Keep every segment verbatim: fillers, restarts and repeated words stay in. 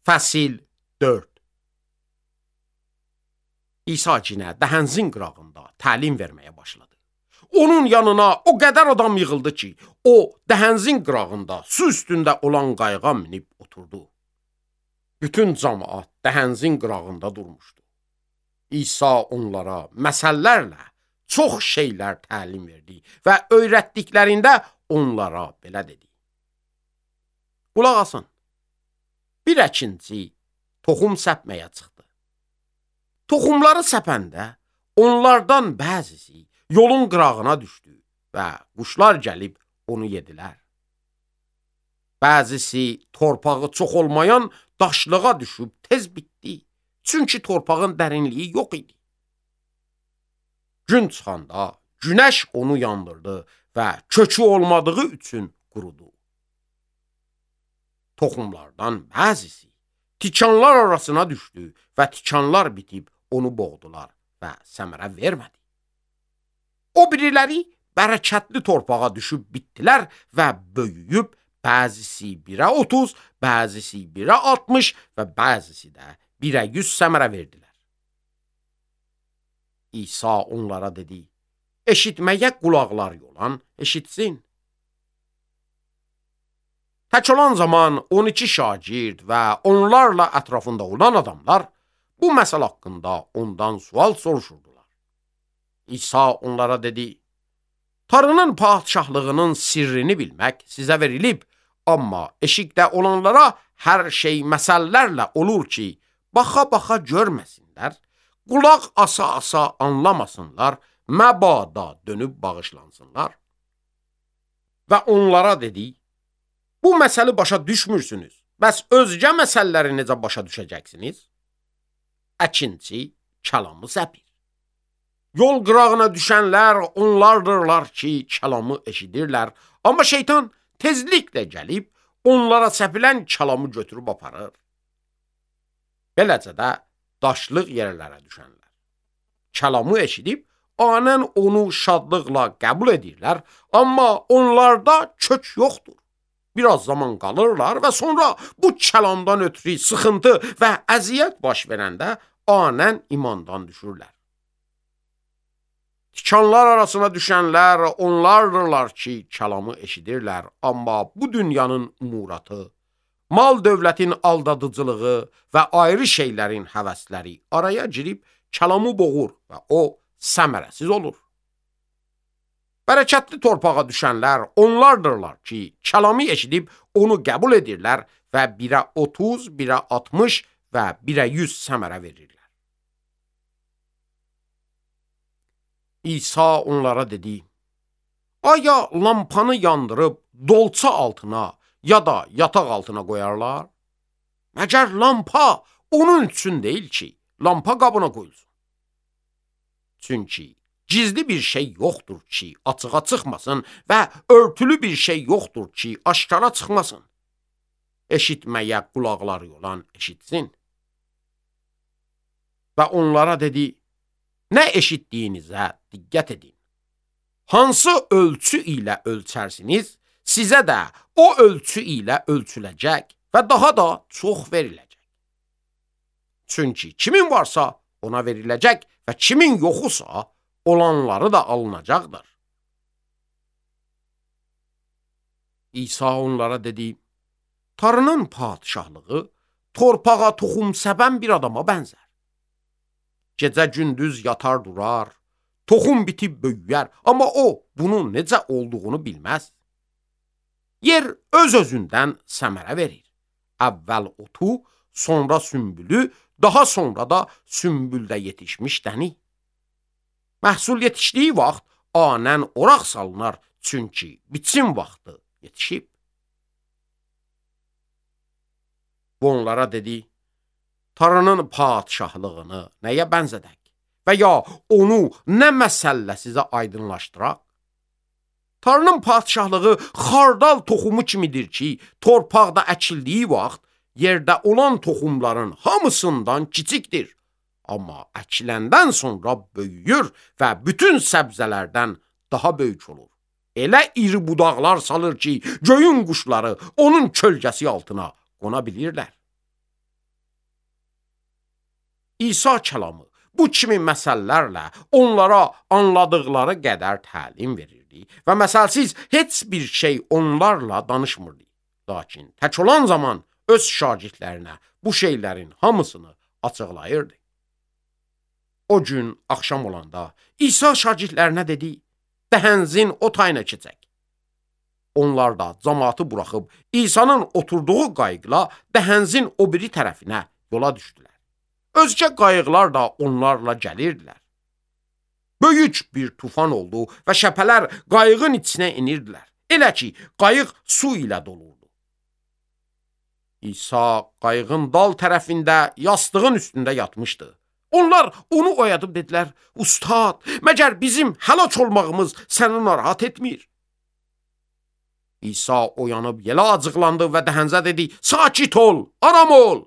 Fəsil dörd. İsa cinə dəhənzin qırağında təlim verməyə başladı. Onun yanına o qədər adam yığıldı ki, o dəhənzin qırağında su üstündə olan qayığa minib oturdu. Bütün cəmaət dəhənzin qırağında durmuşdu. İsa onlara məsəllərlə çox şeylər təlim verdi və öyrətdiklərində onlara belə dedi. Qulaq asın, bir əkinçi toxum səpməyə çıxdı. Toxumları səpəndə onlardan bəzisi yolun qırağına düşdü və quşlar gəlib onu yedilər. Bəzisi torpağı çox olmayan daşlığa düşüb tez bitdi, çünki torpağın dərinliyi yox idi. Gün çıxanda günəş onu yandırdı və kökü olmadığı üçün qurudu. Toxumlardan bəzisi tikanlar arasına düşdü və tikanlar bitib onu boğdular və səmərə vermədi. O biriləri bərəkətli torpağa düşüb bitdilər və böyüyüb bəzisi birə otuz, bəzisi birə altmış və bəzisi də birə yüz səmərə verdilər. İsa onlara dedi, eşitməyə qulaqları olan eşitsin. Tək olan zaman on iki şagird və onlarla ətrafında olan adamlar bu məsələ haqqında ondan sual soruşurdular. İsa onlara dedi, Tanrının padşahlığının sirrini bilmək sizə verilib, amma eşikdə olanlara hər şey məsəllərlə olur ki, baxa-baxa görməsinlər, qulaq asa-asa anlamasınlar, məbada dönüb bağışlansınlar. Və onlara dedi, bu məsəli başa düşmürsünüz, bəs özgə məsələləri necə başa düşəcəksiniz? Əkinçi kəlamı səpir. Yol qırağına düşənlər onlardırlar ki, kəlamı eşidirlər, amma şeytan tezliklə gəlib onlara səpilən kəlamı götürüb aparır. Beləcə də daşlıq yerlərə düşənlər kəlamı eşidib anən onu şadlıqla qəbul edirlər, amma onlarda kök yoxdur. Biraz zaman qalırlar və sonra bu kəlamdan ötürü sıxıntı və əziyyət baş verəndə anən imandan düşürlər. Tikanlar arasına düşənlər onlardırlar ki, kəlamı eşidirlər, amma bu dünyanın umuratı, mal dövlətin aldadıcılığı və ayrı şeylərin həvəsləri araya girib kəlamı boğur və o səmərəsiz olur. Bərəkətli torpağa düşənlər onlardırlar ki, kəlamı eşidib onu qəbul edirlər və birə otuz, birə altmış və birə yüz səmərə verirlər. İsa onlara dedi, aya lampanı yandırıb dolça altına ya da yataq altına qoyarlar? Məgər lampa onun üçün deyil ki, lampa qabına qoyulsun. Çünki gizli bir şey yoxdur ki, açığa çıxmasın və örtülü bir şey yoxdur ki, aşkara çıxmasın. Eşitməyə qulaqları olan eşitsin. Və onlara dedi, nə eşitdiyinizə diqqət edin. Hansı ölçü ilə ölçərsiniz, sizə də o ölçü ilə ölçüləcək və daha da çox veriləcək. Çünki kimin varsa ona veriləcək və kimin yoxusa olanları da alınacaqdır. İsa onlara dedi, Tanrının padşahlığı torpağa toxum səpən bir adama bənzər. Gecə gündüz yatar durar, toxum bitib böyüyər, amma o bunun necə olduğunu bilməz. Yer öz-özündən səmərə verir. Əvvəl otu, sonra sümbülü, daha sonra da sümbüldə yetişmiş dəni. Məhsul yetişdiyi vaxt anən oraq salınar, çünki biçim vaxtı yetişib. Bu onlara dedi, Tanrının padşahlığını nəyə bənzədək və ya onu nə məsəllə sizə aydınlaşdıraq? Tanrının padşahlığı xardal toxumu kimidir ki, torpaqda əkildiyi vaxt yerdə olan toxumların hamısından kiçikdir. Amma əkiləndən sonra böyüyür və bütün səbzələrdən daha böyük olur. Elə iri budaqlar salır ki, göyün quşları onun kölgəsi altına qona bilirlər. İsa kəlamı bu kimi məsəllərlə onlara anladıqları qədər təlim verirdi və məsəlsiz heç bir şey onlarla danışmırdı. Lakin tək olan zaman öz şagirdlərinə bu şeylərin hamısını açıqlayırdı. O gün axşam olanda İsa şagirdlərinə dedi, dəhənzin o tayına keçək. Onlar da cəmaatı buraxıb İsa'nın oturduğu qayıqla dəhənzin o biri tərəfinə yola düşdülər. Özgə qayıqlar da onlarla gəlirdilər. Böyük bir tufan oldu və şəpələr qayığın içinə inirdilər. Elə ki, qayıq su ilə dolurdu. İsa qayığın dal tərəfində yastığın üstündə yatmışdı. Onlar onu oyadıb dedilər, Ustad, məgər bizim həlak olmağımız səni narahat etmir? İsa oyanıb yelə acıqlandı və dəhənzə dedi, sakit ol, aram ol.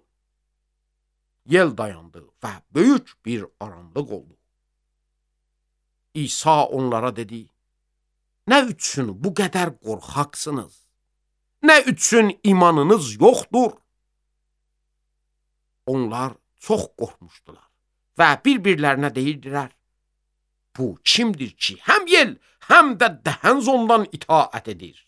Yel dayandı və böyük bir aramlıq oldu. İsa onlara dedi, nə üçün bu qədər qorxaqsınız? Nə üçün imanınız yoxdur? Onlar çox qorxmuşdular və bir-birlərinə deyirdilər, bu kimdir ki, həm yel, həm də dəhənz ondan itaət edir?